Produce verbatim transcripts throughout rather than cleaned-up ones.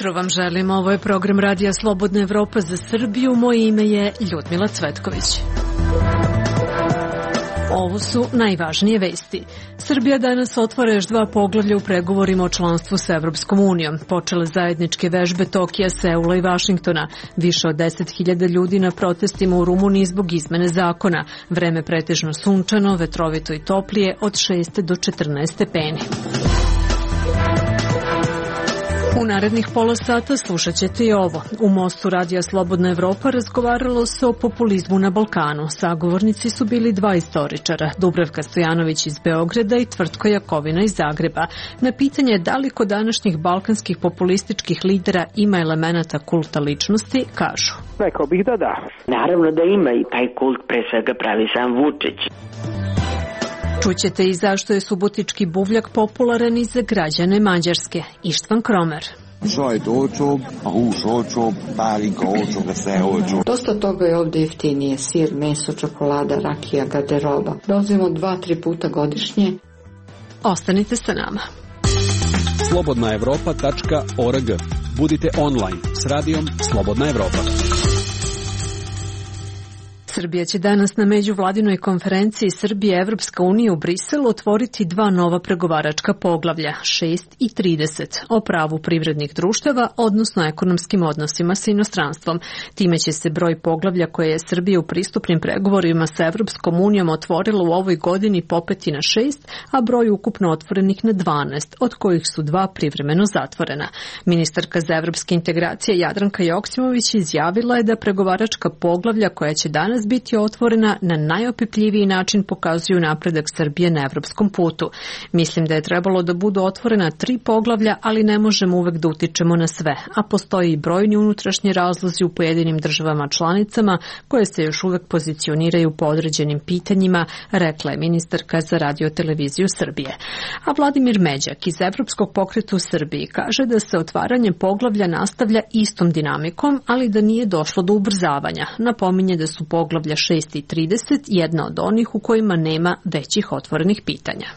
jutro vam želim. Ovo je program Radija Slobodna Evropa za Srbiju. Moje ime je Ljudmila Cvetković. Ovo su najvažnije vesti. Srbija danas otvara još dva poglavlja u pregovorima o članstvu sa Evropskom unijom. Počele zajedničke vežbe Tokija, Seula i Vašingtona. Više od deset hiljada ljudi na protestima u Rumuniji zbog izmene zakona. Vreme pretežno sunčano, vetrovito i toplije od šest do četrnaest stepeni. U narednih pola sata slušat ćete i ovo. U Mostu Radija Slobodna Evropa razgovaralo se o populizmu na Balkanu. Sagovornici su bili dva istoričara, Dubravka Stojanović iz Beograda i Tvrtko Jakovina iz Zagreba. Na pitanje da li kod današnjih balkanskih populističkih lidera ima elemenata kulta ličnosti, kažu. Rekao bih da da. Naravno da ima i taj kult pre svega pravi sam Vučić. Čućete i zašto je subotički buvljak popularan i za građane Mađarske. Ištvan Kromer. Dosta toga je ovdje jeftinije. Sir, meso, čokolada, rakija, garderoba. Dolazimo dva, tri puta godišnje. Ostanite sa nama. slobodna evropa tačka org. Budite online s radijom Slobodna Evropa. Srbija će danas na međuvladinoj konferenciji Srbije Evropska unija u Briselu otvoriti dva nova pregovaračka poglavlja, šest i trideset, o pravu privrednih društava, odnosno ekonomskim odnosima sa inostranstvom. Time će se broj poglavlja koje je Srbija u pristupnim pregovorima sa Evropskom unijom otvorila u ovoj godini popeti na šest, a broj ukupno otvorenih na dvanaest, od kojih su dva privremeno zatvorena. Ministarka za evropske integracije Jadranka Joksimović izjavila je da pregovaračka poglavlja koja će danas biti otvorena na najopipljiviji način pokazuju napredak Srbije na evropskom putu. Mislim da je trebalo da budu otvorena tri poglavlja, ali ne možemo uvek da utičemo na sve, a postoji i brojni unutrašnji razlozi u pojedinim državama članicama koje se još uvek pozicioniraju po određenim pitanjima, rekla je ministarka za radio-televiziju Srbije. A Vladimir Međak iz Evropskog pokreta u Srbiji kaže da se otvaranje poglavlja nastavlja istom dinamikom, ali da nije došlo do ubrzavanja. Napominje da su poglavlja Poglavlja šest i trideset jedna od onih u kojima nema većih otvorenih pitanja.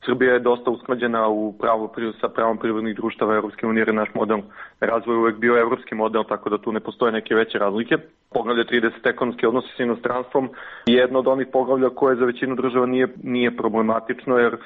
Srbija je dosta usklađena u pravu sa pravom privrednih društava Evropske unije, jer naš model razvoja uvek bio evropski model, tako da tu ne postoje neke veće razlike. Poglavlje trideset ekonomski odnosi sa inostranstvom je jedno od onih poglavlja koje za većinu država nije, nije problematično, jer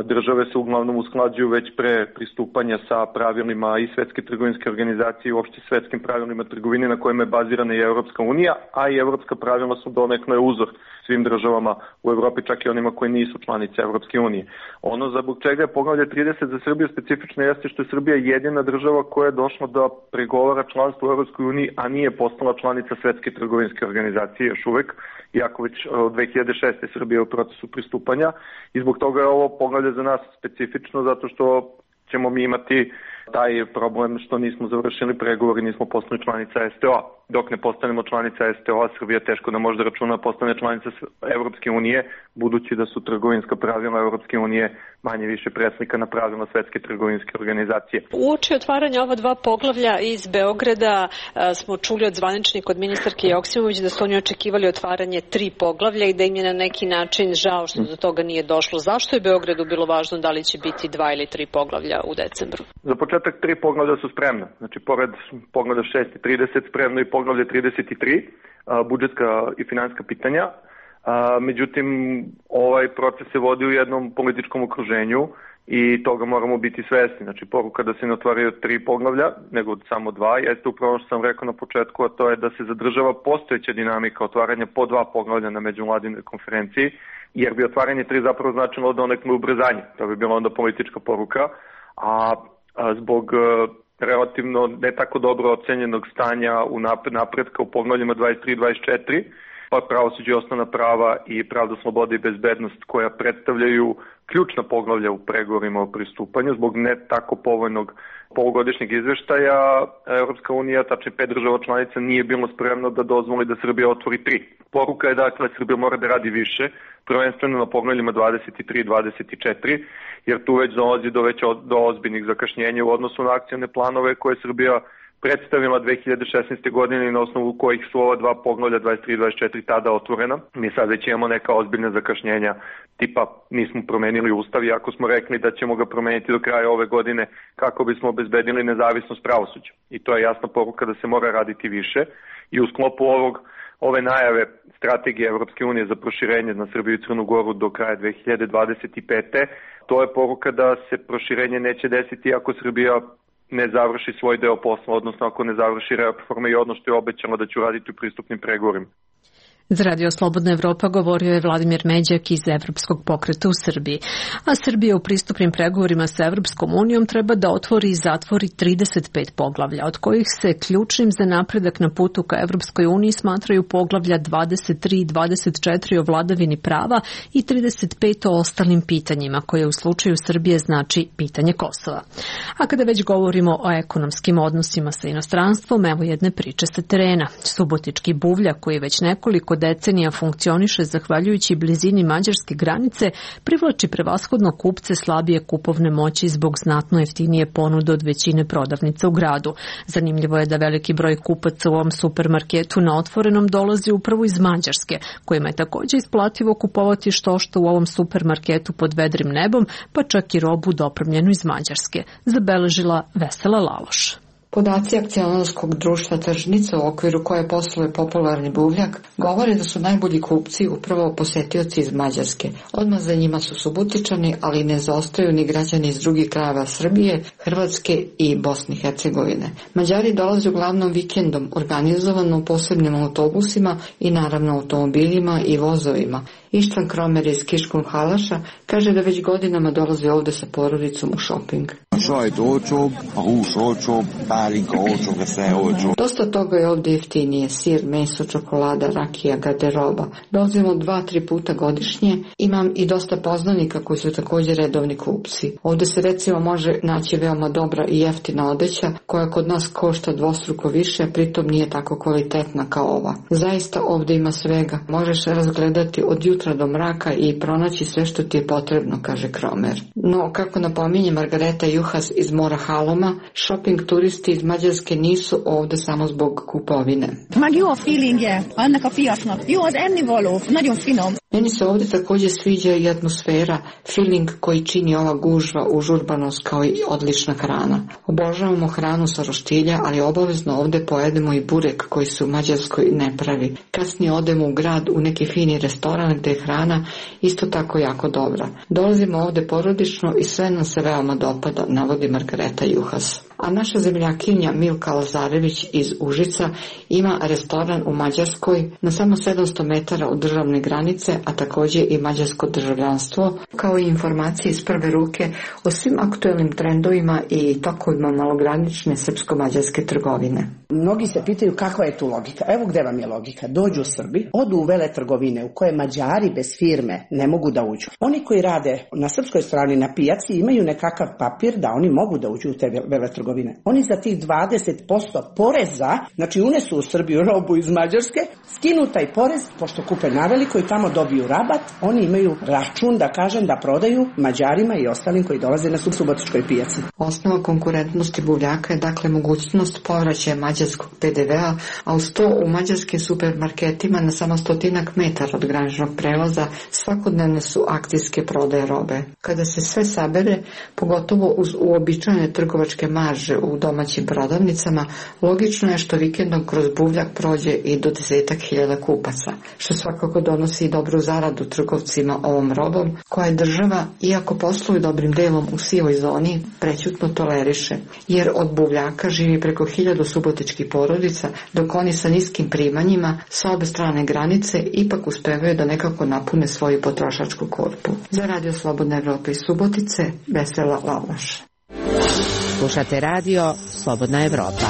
države se uglavnom usklađuju već pre pristupanja sa pravilima i Svetske trgovinske organizacije i uopšte svetskim pravilima trgovine na kojima je bazirana i Evropska unija, a i evropska pravila su donekle uzor svim državama u Evropi, čak i onima koji nisu članice Evropske unije. Ono zbog čega je poglavlje trideset za Srbiju specifično jeste što je Srbija jedina država koja je došla da pregovara članstvo u Evropskoj uniji, a nije postala članica Svetske trgovinske organizacije još uvek, iako već od dve hiljade šeste. Srbija je u procesu pristupanja i zbog toga je ovo poglavlje za nas specifično, zato što ćemo mi imati taj problem što nismo završili pregovor i nismo postali članica S T O-a. Dok ne postanemo članica S T O-a, Srbija teško da može da računa postane članica Evropske unije, budući da su trgovinska pravila Evropske unije manje više preslika na pravila Svetske trgovinske organizacije. Uoči otvaranja ova dva poglavlja iz Beograda smo čuli od zvaničnika, od ministarke Joksimović, da su oni očekivali otvaranje tri poglavlja i da im je na neki način žao što do toga nije došlo. Zašto je Beogradu bilo važno da li će biti dva ili tri poglavlja u decembru? Za početak tri poglavlja su spremna. Znači, pored poglavlja šest i trideset spremno i poglavlje trideset tri, budžetska i finansijska pitanja. Međutim, ovaj proces se vodi u jednom političkom okruženju i toga moramo biti svesni. Znači, poruka da se ne otvaraju tri poglavlja, nego samo dva, jeste upravo što sam rekao na početku, a to je da se zadržava postojeća dinamika otvaranja po dva poglavlja na međuvladinoj konferenciji, jer bi otvaranje tri zapravo značilo donekle ubrzanje. To bi bila onda politička poruka, a, a zbog relativno ne tako dobro ocenjenog stanja u napretka u poglavljima dvadeset tri i dvadeset četiri, pa pravosuđe i osnovna prava i pravda, sloboda i bezbednost, koja predstavljaju ključna poglavlja u pregovorima o pristupanju. Zbog ne tako povoljnog polugodišnjeg izveštaja, Evropska unija, tačnije pet država članica, nije bilo spremno da dozvoli da Srbija otvori tri. Poruka je dakle, Srbija mora da radi više, prvenstveno na poglavljima dvadeset tri i dvadeset četiri, jer tu već dolazi do, već do ozbiljnih zakašnjenja u odnosu na akcione planove koje Srbija predstavila dve hiljade šesnaeste. godine i na osnovu kojih su ova dva poglavlja dvadeset tri i dvadeset četiri tada otvorena. Mi sad već imamo neka ozbiljna zakašnjenja, tipa nismo promenili ustav, iako smo rekli da ćemo ga promeniti do kraja ove godine kako bismo obezbedili nezavisnost pravosuđa. I to je jasna poruka da se mora raditi više i u sklopu ovog ove najave strategije Evropske unije za proširenje na Srbiju i Crnu Goru do kraja dve hiljade dvadeset pete. To je poruka da se proširenje neće desiti ako Srbija ne završi svoj deo posla, odnosno ako ne završi reforme i ono što je obećano da će uraditi u pristupnim pregovorima. Za Radio Slobodna Evropa govorio je Vladimir Međak iz Evropskog pokreta u Srbiji. A Srbija u pristupnim pregovorima sa Evropskom unijom treba da otvori i zatvori trideset pet poglavlja, od kojih se ključnim za napredak na putu ka Evropskoj uniji smatraju poglavlja dvadeset tri i dvadeset četiri o vladavini prava i trideset pet o ostalim pitanjima, koje u slučaju Srbije znači pitanje Kosova. A kada već govorimo o ekonomskim odnosima sa inostranstvom, evo jedne priče sa terena. Subotički buvlja, koji već nekoliko decenija funkcioniše zahvaljujući blizini mađarske granice, privlači prevashodno kupce slabije kupovne moći zbog znatno jeftinije ponude od većine prodavnica u gradu. Zanimljivo je da veliki broj kupaca u ovom supermarketu na otvorenom dolazi upravo iz Mađarske, kojima je također isplativo kupovati što što u ovom supermarketu pod vedrim nebom, pa čak i robu dopremljenu iz Mađarske, zabeležila Vesela Laloš. Podaci akcionarskog društva Tržnica, u okviru koje posluje popularni buvljak, govore da su najbolji kupci upravo posetioci iz Mađarske. Odmah za njima su Subotičani, ali ne zaostaju ni građani iz drugih krajeva Srbije, Hrvatske i Bosne i Hercegovine. Mađari dolaze uglavnom vikendom, organizovano u posebnim autobusima i naravno automobilima i vozovima. Ištvan Kromer iz Kiškun Halaša kaže da već godinama dolazi ovde sa porodicom u šoping. Dosta toga je ovde jeftinije, sir, meso, čokolada, rakija, garderoba. Dolazimo dva, tri puta godišnje. Imam i dosta poznanika koji su također redovni kupci. Ovde se recimo može naći veoma dobra i jeftina odeća koja kod nas košta dvostruko više, a pritom nije tako kvalitetna kao ova. Zaista ovde ima svega. Možeš razgledati od jutra do mraka i pronaći sve što ti je potrebno, kaže Kromer. No, kako napominje Margareta Juhas iz Mora Haloma, shopping turisti iz Mađarske nisu ovde samo zbog kupovine. Mag jó a feelingje annak a piacnak. Jó az ennivaló, nagyon finom. Meni se ovde također sviđa i atmosfera, feeling koji čini ova gužva, užurbanost kao i odlična hrana. Obožavamo hranu sa roštilja, ali obavezno ovde pojedemo i burek koji se u Mađarskoj ne pravi. Kasnije odemo u grad u neki fini restoran gde je hrana isto tako jako dobra. Dolazimo ovde porodično i sve nam se veoma dopada, navodi Margareta Juhas. A naša zemljakinja Milka Lazarević iz Užica ima restoran u Mađarskoj na samo sedamsto metara od državne granice, a također i mađarsko državljanstvo, kao i informacije iz prve ruke o svim aktuelnim trendovima i tokovima malogranične srpsko-mađarske trgovine. Mnogi se pitaju kakva je tu logika. Evo gde vam je logika. Dođu Srbi, odu u veletrgovine u koje Mađari bez firme ne mogu da uđu. Oni koji rade na srpskoj strani na pijaci imaju nekakav papir da oni mogu da uđu u te veletrgovine. Oni za tih dvadeset posto poreza, znači unesu u Srbiju robu iz Mađarske, skinu taj porez, pošto kupe naveliko i tamo dobiju rabat, oni imaju račun, da kažem, da prodaju Mađarima i ostalim koji dolaze na subotičkoj pijaci. Osnova konkurentnosti buvljaka je dakle mogućnost povraćaja mađarskog pe de vea, a uz to u mađarskim supermarketima na samo stotinak metara od graničnog prelaza svakodnevne su akcijske prodaje robe. Kada se sve sabere, pogotovo uz uobičajene trgovačke marže u domaćim prodavnicama, logično je što vikendom kroz buvljak prođe i do desetak hiljada kupaca, što svakako donosi i dobru zaradu trgovcima ovom robom, koja je država, iako posluju dobrim delom u sivoj zoni, prećutno toleriše, jer od buvljaka živi preko hiljadu subotičkih porodica, dok oni sa niskim primanjima sa obe strane granice ipak uspevaju da nekako napune svoju potrošačku korpu. Za Radio Slobodna Evropa iz Subotice, Vesela Laloš. Slušate radio Slobodna Evropa.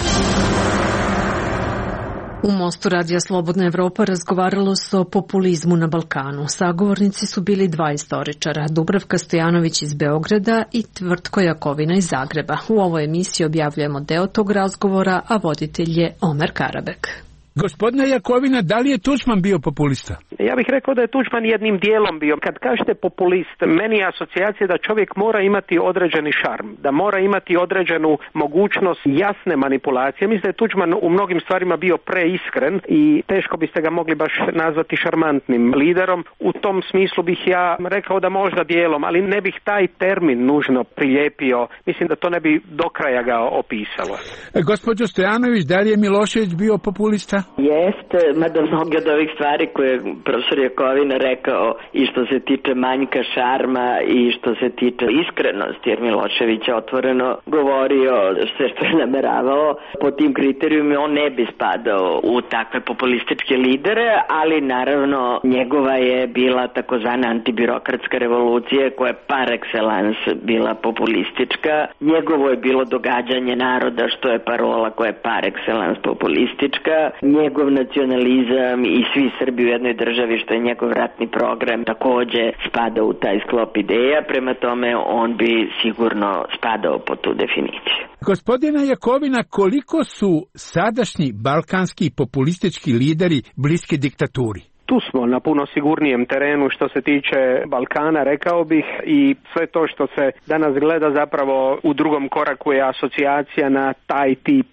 U Mostu radija Slobodna Evropa razgovaralo se o populizmu na Balkanu. Sagovornici su bili dva istoričara, Dubravka Stojanović iz Beograda i Tvrtko Jakovina iz Zagreba. U ovoj emisiji objavljujemo deo tog razgovora, a voditelj je Omer Karabek. Gospodine Jakovina, da li je Tuđman bio populista? Ja bih rekao da je Tuđman jednim dijelom bio. Kad kažete populist, meni je asocijacija da čovjek mora imati određeni šarm, da mora imati određenu mogućnost jasne manipulacije. Mislim da je Tuđman u mnogim stvarima bio preiskren i teško biste ga mogli baš nazvati šarmantnim liderom. U tom smislu bih ja rekao da možda dijelom, ali ne bih taj termin nužno prilijepio. Mislim da to ne bi do kraja ga opisalo. E, gospođo Stojanović, da li je Milošević bio populista? Jeste, mada mnoge od ovih stvari koje je profesor Jakovina rekao i što se tiče manjka šarma i što se tiče iskrenosti, jer Milošević je otvoreno govorio sve što je nameravao, po tim kriterijumima on ne bi spadao u takve populističke lidere, ali naravno njegova je bila takozvana antibirokratska revolucija koja je par excellence bila populistička. Njegovo je bilo događanje naroda, što je parola koja je par excellence populistička. Njegov nacionalizam i svi Srbi u jednoj državi, što je njegov ratni program, takođe spada u taj sklop ideja, prema tome on bi sigurno spadao po tu definiciju. Gospodina Jakovina, koliko su sadašnji balkanski populistički lideri bliski diktaturi? Tu smo na puno sigurnijem terenu što se tiče Balkana, rekao bih, i sve to što se danas gleda zapravo u drugom koraku je asocijacija na taj tip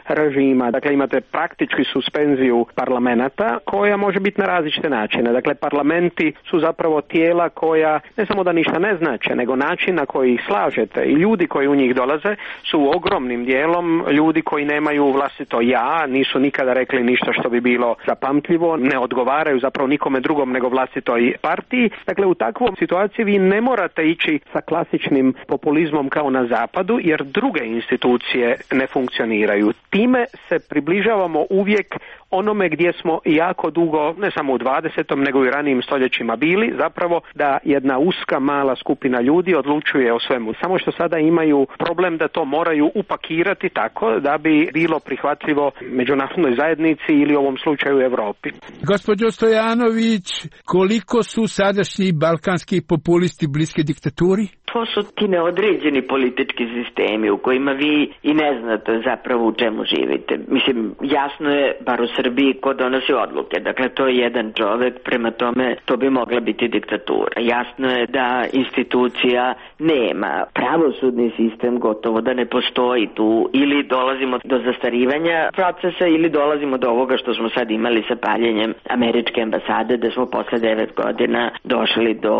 režima. Dakle, imate praktički suspenziju parlamenta koja može biti na različite načine. Dakle, parlamenti su zapravo tijela koja ne samo da ništa ne znače, nego način na koji ih slažete i ljudi koji u njih dolaze su ogromnim dijelom ljudi koji nemaju vlastito ja, nisu nikada rekli ništa što bi bilo zapamtljivo, ne odgovaraju zapravo nikome drugom nego vlastitoj partiji. Dakle, u takvoj situaciji vi ne morate ići sa klasičnim populizmom kao na zapadu, jer druge institucije ne funkcioniraju. Time se približavamo uvijek onome gdje smo jako dugo, ne samo u dvadesetom nego i ranijim stoljećima bili, zapravo da jedna uska mala skupina ljudi odlučuje o svemu. Samo što sada imaju problem da to moraju upakirati tako da bi bilo prihvatljivo međunarodnoj zajednici ili u ovom slučaju Europi. Gospođo Stojanović, koliko su sadašnji balkanski populisti bliski diktaturi? To su ti neodređeni politički sistemi u kojima vi i ne znate zapravo u čemu živite. Mislim, jasno je, bar u Srbiji, ko donosi odluke. Dakle, to je jedan čovek, prema tome to bi mogla biti diktatura. Jasno je da institucija nema. Pravosudni sistem gotovo da ne postoji tu. Ili dolazimo do zastarivanja procesa ili dolazimo do ovoga što smo sad imali sa paljenjem američke ambasade, da smo posle devet godina došli do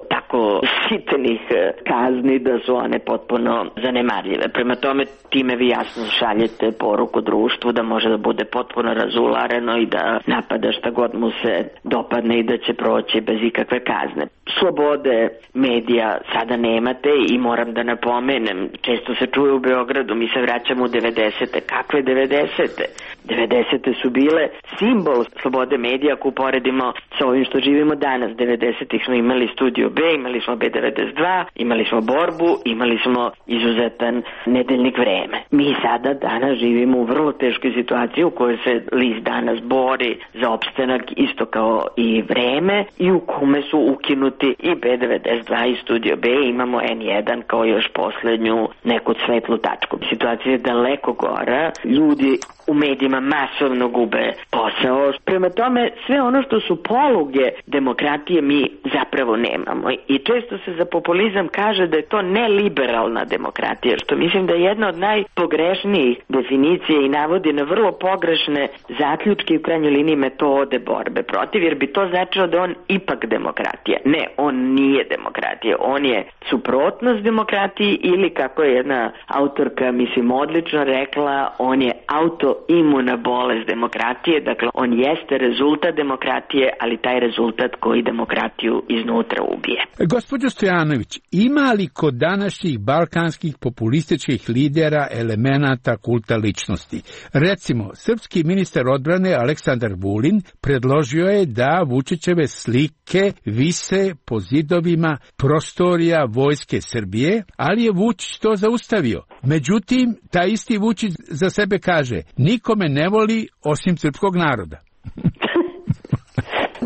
tako sitnih kazni da su one potpuno zanemarljive. Prema tome, time vi jasno šaljete poruku društvu da može da bude potpuno razulareno i da napada šta god mu se dopadne i da će proći bez ikakve kazne. Slobode medija sada nemate i moram da napomenem, često se čuje u Beogradu, mi se vraćamo u devedesete. Kakve devedesete? devedesete su bile simbol slobode medija ako uporedimo sa ovim što živimo danas. devedesetih smo imali Studio B, imali smo B devedeset dva, imali smo Borbu, imali smo izuzetan nedeljnik Vreme. Mi sada danas živimo u vrlo teškoj situaciji u kojoj se list Danas bori za opstanak isto kao i Vreme i u kome su ukinuti i B devedeset dva i Studio B, imamo N jedan kao još poslednju neku svetlu tačku. Situacija je daleko gora, ljudi u medijima masovno gube posao. Prema tome, sve ono što su poluge demokratije mi zapravo nemamo. I često se za populizam kaže da je to neliberalna demokratija, što mislim da je jedna od najpogrešnijih definicija i navodi na vrlo pogrešne zaključke i u krajnjoj liniji metode borbe protiv, jer bi to značilo da on ipak demokratija. Ne, on nije demokratija. On je suprotnost demokratiji ili, kako je jedna autorka, mislim, odlično rekla, on je autoimuna bolest demokratije. Dakle, on jeste rezultat demokratije, ali taj rezultat koji demokratiju iznutra ubije. Gospođo Stojanović, ima li kod današnjih balkanskih populističkih lidera elemenata kulta ličnosti? Recimo, srpski ministar odbrane Aleksandar Vulin predložio je da Vučićeve slike vise po zidovima prostorija Vojske Srbije, ali je Vučić to zaustavio. Međutim, taj isti Vučić za sebe kaže, nikome ne voli osim srpskog naroda.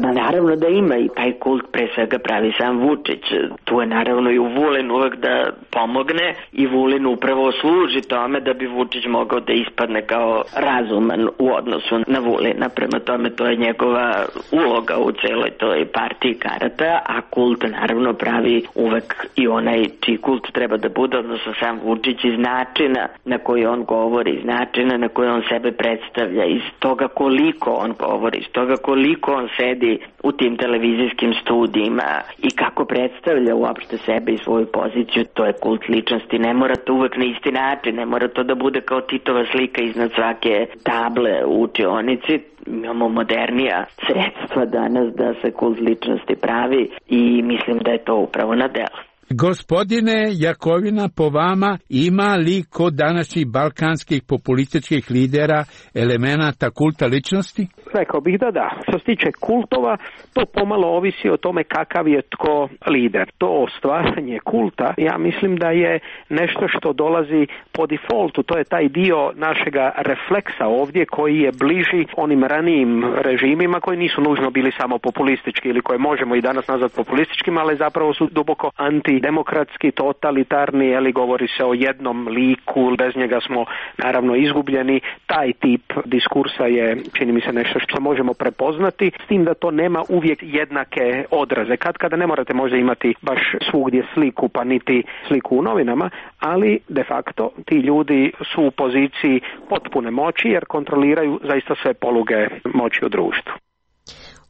Da, naravno da ima i taj kult pre svega pravi sam Vučić. Tu je naravno i u Vulin uvek da pomogne i Vulin upravo služi tome da bi Vučić mogao da ispadne kao razuman u odnosu na Vulina. Prema tome to je njegova uloga u celoj toj partiji karata, a kult naravno pravi uvek i onaj čiji kult treba da bude, odnosno sam Vučić, iz načina na koji on govori, iz načina na koji on sebe predstavlja, iz toga koliko on govori, iz toga koliko on sedi u tim televizijskim studijima i kako predstavlja uopšte sebe i svoju poziciju. To je kult ličnosti. Ne mora to uvek na isti način, ne mora to da bude kao Titova slika iznad svake table u učionici. Imamo modernija sredstva danas da se kult ličnosti pravi i mislim da je to upravo na delu. Gospodine Jakovina, po vama ima li kod današnjih balkanskih populističkih lidera elemenata kulta ličnosti? Rekao bih da da. Što se tiče kultova, to pomalo ovisi o tome kakav je tko lider. To stvaranje kulta, ja mislim da je nešto što dolazi po defaultu. To je taj dio našega refleksa ovdje koji je bliži onim ranijim režimima koji nisu nužno bili samo populistički ili koje možemo i danas nazvati populističkim, ali zapravo su duboko antidemokratski, totalitarni, ili govori se o jednom liku, bez njega smo naravno izgubljeni. Taj tip diskursa je, čini mi se, nešto što možemo prepoznati, s tim da to nema uvijek jednake odraze. Kad kada ne morate možda imati baš svugdje sliku, pa niti sliku u novinama, ali de facto ti ljudi su u poziciji potpune moći jer kontroliraju zaista sve poluge moći u društvu.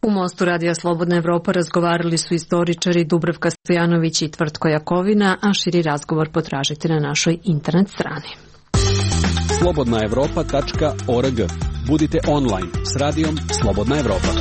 U Mostu Radija Slobodna Evropa razgovarali su istoričari Dubravka Stojanović i Tvrtko Jakovina, a širi razgovor potražite na našoj internet strani. slobodna evropa tačka org. Budite online s radijom Slobodna Evropa.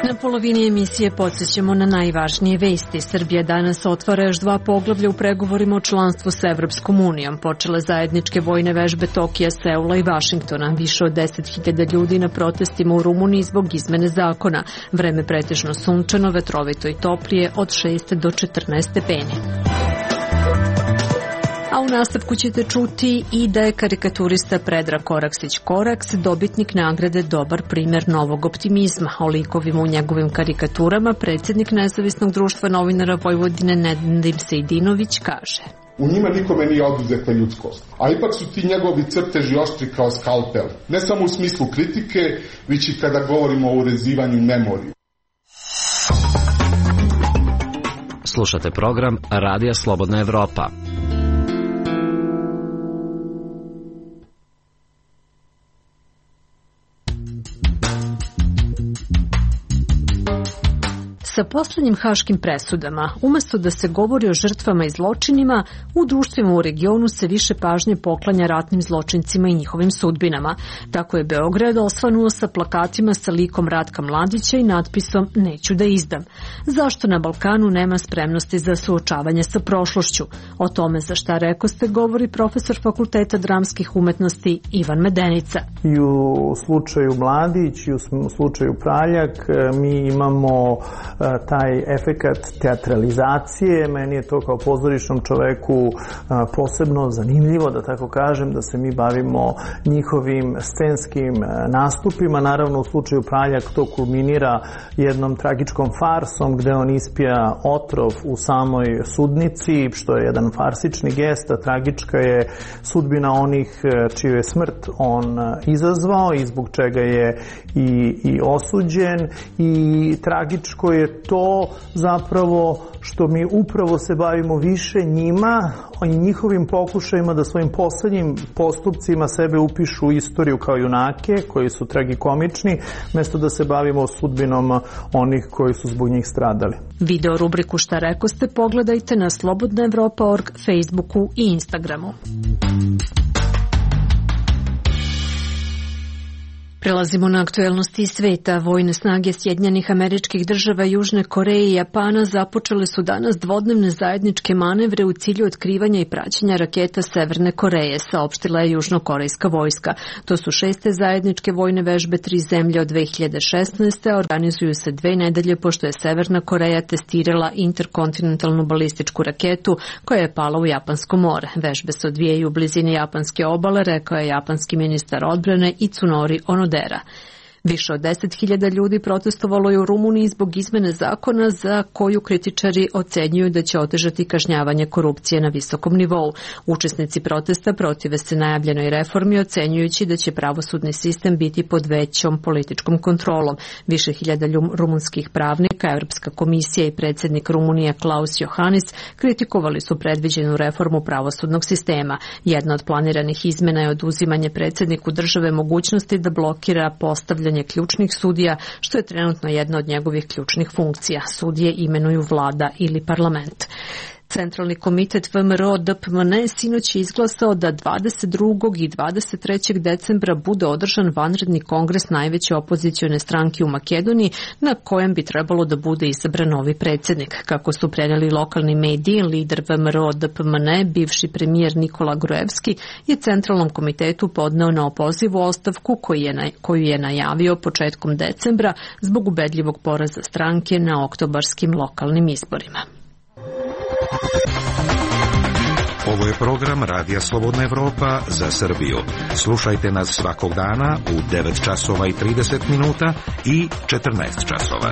Na polovini emisije podsjećamo na najvažnije vesti. Srbija danas otvara još dva poglavlja u pregovorima o članstvu s Evropskom unijom. Počele zajedničke vojne vežbe Tokija, Seula i Vašingtona. Više od deset hiljada ljudi na protestima u Rumuniji zbog izmene zakona. Vreme pretežno sunčano, vetrovito i toplije od šest do četrnaest stepeni. A u nastavku ćete čuti i da je karikaturista Predrag Koraksić-Koraks dobitnik nagrade Dobar primer novog optimizma. O likovima u njegovim karikaturama predsjednik Nezavisnog društva novinara Vojvodine Nedim Sejdinović kaže: U njima nikome nije oduzeta ljudskost, a ipak su ti njegovi crteži oštri kao skalpel, ne samo u smislu kritike, već i kada govorimo o urezivanju memorije. Slušate program Radija Slobodna Evropa. Sa posljednjim haškim presudama, umjesto da se govori o žrtvama i zločinima, u društvima u regionu se više pažnje poklanja ratnim zločincima i njihovim sudbinama. Tako je Beograd osvanuo sa plakatima sa likom Ratka Mladića i natpisom Neću da izdam. Zašto na Balkanu nema spremnosti za suočavanje sa prošlošću? O tome za šta rekoste govori profesor Fakulteta dramskih umetnosti Ivan Medenica. I u slučaju Mladić i u slučaju Praljak mi imamo taj efekat teatralizacije. Meni je to kao pozorišnom čoveku posebno zanimljivo, da tako kažem, da se mi bavimo njihovim scenskim nastupima. Naravno, u slučaju Praljak to kulminira jednom tragičkom farsom gde on ispija otrov u samoj sudnici, što je jedan farsični gest, a tragička je sudbina onih čiju je smrt on izazvao i zbog čega je i, i osuđen, i tragičko je to zapravo što mi upravo se bavimo više njima i njihovim pokušajima da svojim poslednjim postupcima sebe upišu u istoriju kao junake koji su tragikomični, mjesto da se bavimo sudbinom onih koji su zbog njih stradali. Video rubriku Šta rekoste pogledajte na slobodna evropa tačka org, Facebooku i Instagramu. Prelazimo na aktuelnosti iz sveta. Vojne snage Sjedinjenih Američkih Država, Južne Koreje i Japana započele su danas dvodnevne zajedničke manevre u cilju otkrivanja i praćenja raketa Severne Koreje, saopštila je južnokorejska vojska. To su šeste zajedničke vojne vežbe tri zemlje od dve hiljade šesnaeste. a organizuju se dve nedelje pošto je Severna Koreja testirala interkontinentalnu balističku raketu koja je pala u Japansko more. Vežbe se odvijaju u blizini japanske obale, rekao je japanski ministar odbrane Itsunori Onodera. Više od deset hiljada ljudi protestovalo je u Rumuniji zbog izmene zakona za koju kritičari ocenjuju da će otežati kažnjavanje korupcije na visokom nivou. Učesnici protesta protive se najavljenoj reformi, ocenjujući da će pravosudni sistem biti pod većom političkom kontrolom. Više hiljada rumunskih pravnika, Evropska komisija i predsjednik Rumunije Klaus Iohannis kritikovali su predviđenu reformu pravosudnog sistema. Jedna od planiranih izmena je oduzimanje predsjedniku države mogućnosti da blokira postavljanje ključnih sudija, što je trenutno jedna od njegovih ključnih funkcija. Sudije imenuju vlada ili parlament. Centralni komitet V M R O D P M N sinoć je izglasao da dvadeset drugog i dvadeset trećeg decembra bude održan vanredni kongres najveće opozicione stranke u Makedoniji, na kojem bi trebalo da bude izabran novi predsjednik. Kako su prenijeli lokalni mediji, lider V M R O D P M N, bivši premijer Nikola Gruevski, je Centralnom komitetu podneo na opozivu ostavku koju je, koju je najavio početkom decembra zbog ubedljivog poraza stranke na oktobarskim lokalnim izborima. Ovo je program Radija Slobodna Evropa za Srbiju. Slušajte nas svakog dana u devet časova i trideset minuta i četrnaest časova.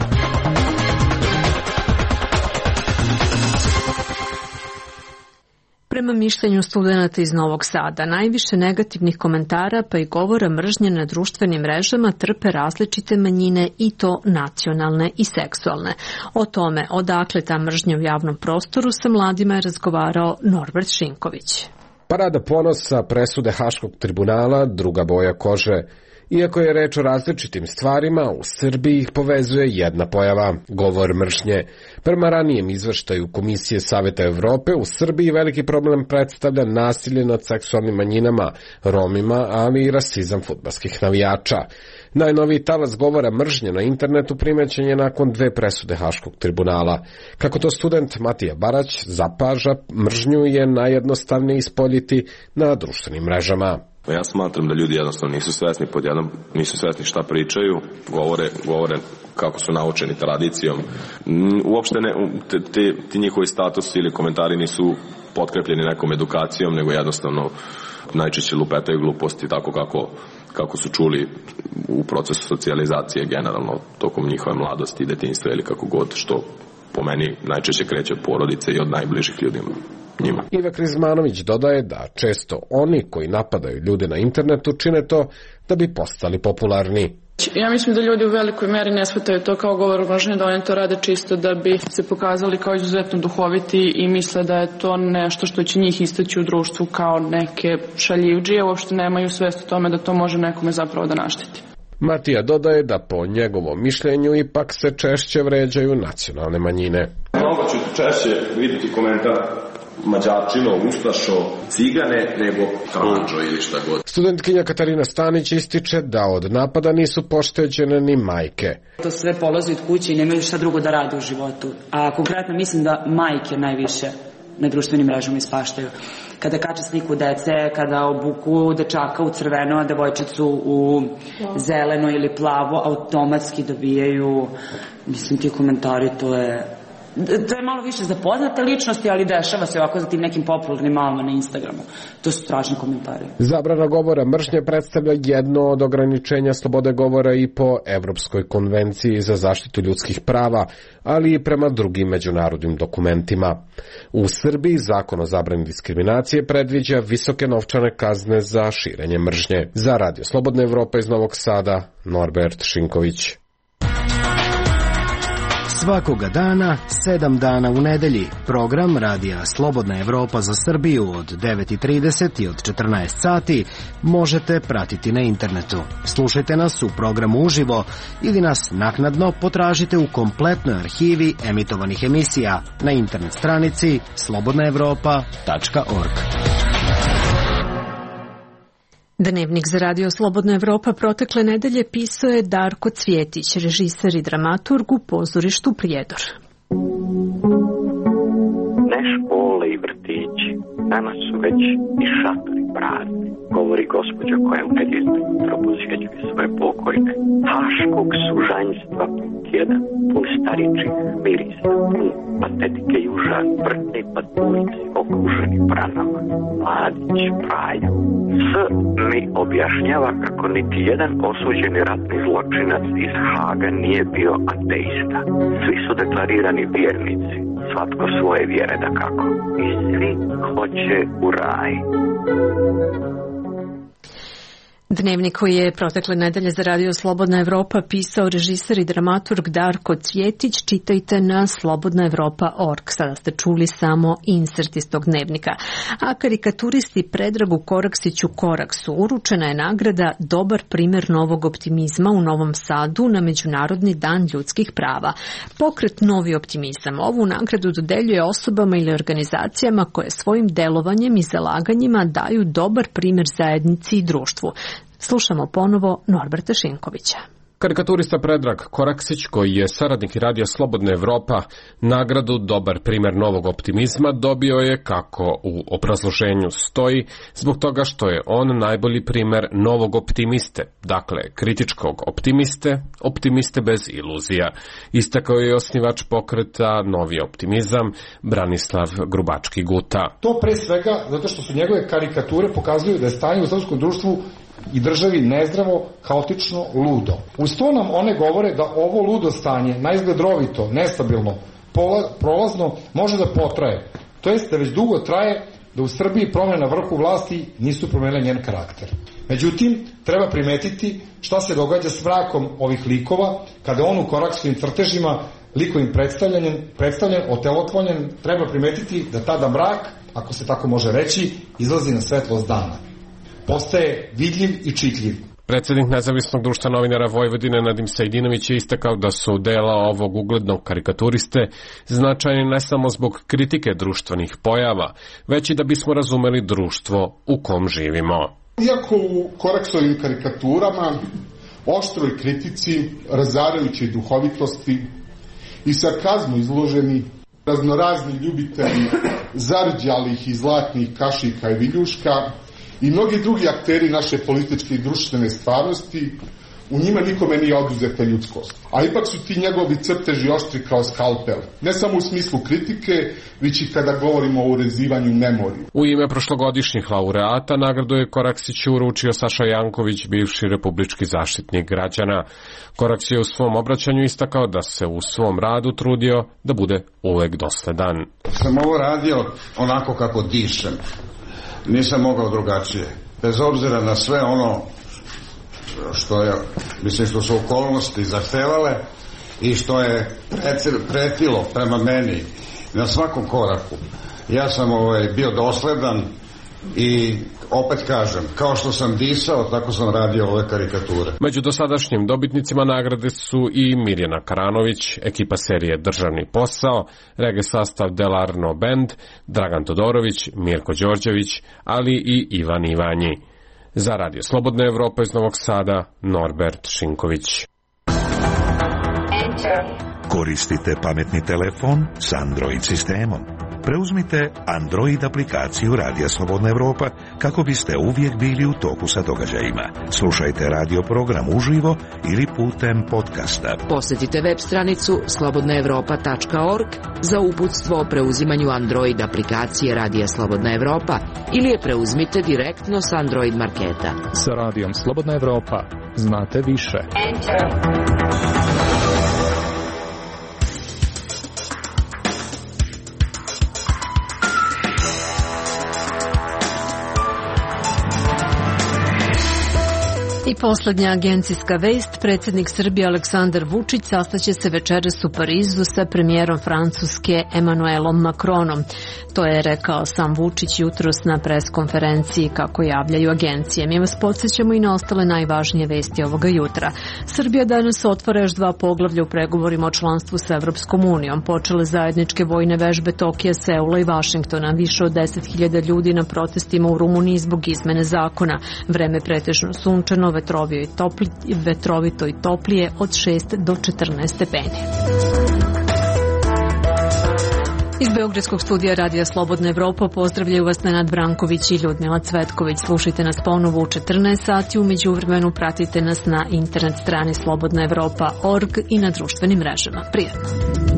Prema mišljenju studenata iz Novog Sada, najviše negativnih komentara pa i govora mržnje na društvenim mrežama trpe različite manjine i to nacionalne i seksualne. O tome odakle ta mržnja u javnom prostoru sa mladima je razgovarao Norbert Šinković. Parada ponosa, presude Haškog tribunala, druga boja kože. Iako je reč o različitim stvarima, u Srbiji ih povezuje jedna pojava, govor mržnje. Prema ranijem izveštaju Komisije Saveta Evrope, u Srbiji veliki problem predstavlja nasilje nad seksualnim manjinama, Romima, ali i rasizam fudbalskih navijača. Najnoviji talas govora mržnje na internetu primećen je nakon dve presude Haškog tribunala. Kako to student Matija Barać zapaža, mržnju je najjednostavnije ispoljiti na društvenim mrežama. Ja smatram da ljudi jednostavno nisu svesni, pod jednom nisu svesni šta pričaju, govore, govore kako su naučeni tradicijom. Uopšte ne, te, te, ti njihovi statusi ili komentari nisu potkrepljeni nekom edukacijom, nego jednostavno najčešće lupetaju gluposti tako kako, kako su čuli u procesu socijalizacije generalno tokom njihove mladosti i detinjstva ili kako god, što po meni najčešće kreće od porodice i od najbližih ljudima. Njima. Iva Krizmanović dodaje da često oni koji napadaju ljude na internetu čine to da bi postali popularni. Ja mislim da ljudi u velikoj meri ne shvataju to kao govor mržnje, da oni to rade čisto da bi se pokazali kao izuzetno duhoviti i misle da je to nešto što će njih istaći u društvu kao neke šaljivdžije, uopšte nemaju svest o tome da to može nekome zapravo da našteti. Matija dodaje da po njegovom mišljenju ipak se češće vređaju nacionalne manjine. Mnogo ću češće vidjeti komentar Mađarčino, Ustašo, Cigane, nego Kranđo ili šta god. Studentkinja Katarina Stanić ističe da od napada nisu pošteđene ni majke. To sve polazi od kuće i nemaju šta drugo da rade u životu. A konkretno mislim da majke najviše na društvenim mrežama ispaštaju. Kada kače sliku dece, kada obuku dečaka u crveno, a devojčicu u zeleno ili plavo, automatski dobijaju, mislim, ti komentari, to je... To je malo više za poznate ličnosti, ali dešava se ovako za tim nekim popularnim malama na Instagramu. To su strašni komentari. Zabrana govora mržnje predstavlja jedno od ograničenja slobode govora i po Evropskoj konvenciji za zaštitu ljudskih prava, ali i prema drugim međunarodnim dokumentima. U Srbiji zakon o zabrani diskriminacije predviđa visoke novčane kazne za širenje mržnje. Za Radio Slobodna Evropa iz Novog Sada, Norbert Šinković. Svakoga dana, sedam dana u nedelji, program Radija Slobodna Evropa za Srbiju od devet i trideset i od četrnaest sati možete pratiti na internetu. Slušajte nas u programu uživo ili nas naknadno potražite u kompletnoj arhivi emitovanih emisija na internet stranici slobodna evropa tačka org. Dnevnik za Radio Slobodna Evropa protekle nedelje pisao je Darko Cvjetić, režiser i dramaturg u pozorištu Prijedor. Ne škole i vrtići, danas su već i šatori prazni. govori gospođa koja u nedjelju jutro posjećuje svoje pokojne. Haškog sužanjstva put jedan, pun staričih mirisa, pun patetike i užas, vrtni patuljci, okruženi pranama, mladić, praja. S mi objašnjava kako niti jedan osuđeni ratni zločinac iz Haga nije bio ateista. Svi su deklarirani vjernici, svatko svoje vjere da kako. I svi hoće u raj. Dnevnik koji je protekle nedelje za Radio Slobodna Evropa pisao režiser i dramaturg Darko Cvjetić, čitajte na slobodna evropa tačka org. Sada ste čuli samo insert iz tog dnevnika. A karikaturisti Predragu Koraksiću Koraksu uručena je nagrada Dobar primjer novog optimizma u Novom Sadu na Međunarodni dan ljudskih prava. Pokret Novi optimizam ovu nagradu dodeljuje osobama ili organizacijama koje svojim delovanjem i zalaganjima daju dobar primjer zajednici i društvu. Slušamo ponovo Norberta Šinkovića. Karikaturista Predrag Koraksić, koji je saradnik Radija Slobodna Evropa, nagradu Dobar primjer novog optimizma dobio je, kako u obrazloženju stoji, zbog toga što je on najbolji primjer novog optimiste, dakle kritičkog optimiste, optimiste bez iluzija. Istakao je osnivač pokreta Novi optimizam, Branislav Grubački-Guta. To pre svega zato što su njegove karikature pokazuju da je stanje u srpskom društvu i državi nezdravo, haotično, ludo. Uz to nam one govore da ovo ludo stanje, naizgled rovito, nestabilno, prolazno, može da potraje. To jest da već dugo traje, da u Srbiji promjene na vrhu vlasti nisu promenile njen karakter. Međutim, treba primetiti šta se događa s mrakom ovih likova, kada on u Koraksovim crtežima likovim predstavljanjem, predstavljen, otelotvorjen, treba primetiti da tada mrak, ako se tako može reći, izlazi na svetlost dana. Postaje vidljiv i čitljiv. Predsjednik Nezavisnog društva novinara Vojvodine Nadim Sajdinović je istakao da su dela ovog uglednog karikaturiste značajni ne samo zbog kritike društvenih pojava, već i da bismo razumeli društvo u kom živimo. Iako u Koraksovim karikaturama, oštroj kritici, razarajućoj duhovitosti i sarkazmu izloženi raznorazni ljubitelji zarđalih i zlatnih kašika i viljuška, i mnogi drugi akteri naše političke i društvene stvarnosti, u njima nikome nije oduzeta ljudskost. A ipak su ti njegovi crteži oštri kao skalpel. Ne samo u smislu kritike, već i kada govorimo o urezivanju memorije. U ime prošlogodišnjih laureata nagradu je Koraksiću uručio Saša Janković, bivši republički zaštitnik građana. Koraks je u svom obraćanju istakao da se u svom radu trudio da bude uvek dosledan. Sam ovo radio onako kako dišem. Nisam mogao drugačije. Bez obzira na sve ono što je, mislim, što su okolnosti zahtevale i što je pretilo prema meni na svakom koraku. Ja sam ovaj, bio dosledan i opet kažem, kao što sam disao, tako sam radio ove karikature. Među dosadašnjim dobitnicima nagrade su i Mirjana Karanović, ekipa serije Državni posao, rege sastav Delarno Band, Dragan Todorović, Mirko Đorđević, ali i Ivan Ivanji. Za Radio Slobodna Evropa iz Novog Sada, Norbert Šinković. Koristite pametni telefon s Android sistemom. Preuzmite Android aplikaciju Radija Slobodna Evropa kako biste uvijek bili u toku sa događajima. Slušajte radio program uživo ili putem podcasta. Posjetite web stranicu slobodna evropa tačka org za uputstvo o preuzimanju Android aplikacije Radija Slobodna Evropa ili je preuzmite direktno s Android marketa. Sa Radijom Slobodna Evropa znate više. Enter. I poslednja agencijska vest, predsjednik Srbije Aleksandar Vučić sastaće se večeras u Parizu sa premijerom Francuske Emmanuelom Macronom. To je rekao sam Vučić jutros na preskonferenciji, kako javljaju agencije. Mi vas podsjećamo i na ostale najvažnije vesti ovoga jutra. Srbija danas otvara još dva poglavlja u pregovorima o članstvu sa Evropskom unijom. Počele zajedničke vojne vežbe Tokija, Seula i Vašingtona. Više od deset hiljada ljudi na protestima u Rumuniji zbog izmene zakona. Vreme pretežno sunčano, vetrovito i, topli, vetrovito i toplije od šest do četrnaest stepeni. Iz Beogradskog studija Radija Slobodna Evropa pozdravljaju vas Nenad Branković i Ljudmila Cvetković. Slušajte nas ponovo u četrnaest sati, u međuvremenu pratite nas na internet strani slobodna evropa tačka org i na društvenim mrežama. Prijatno!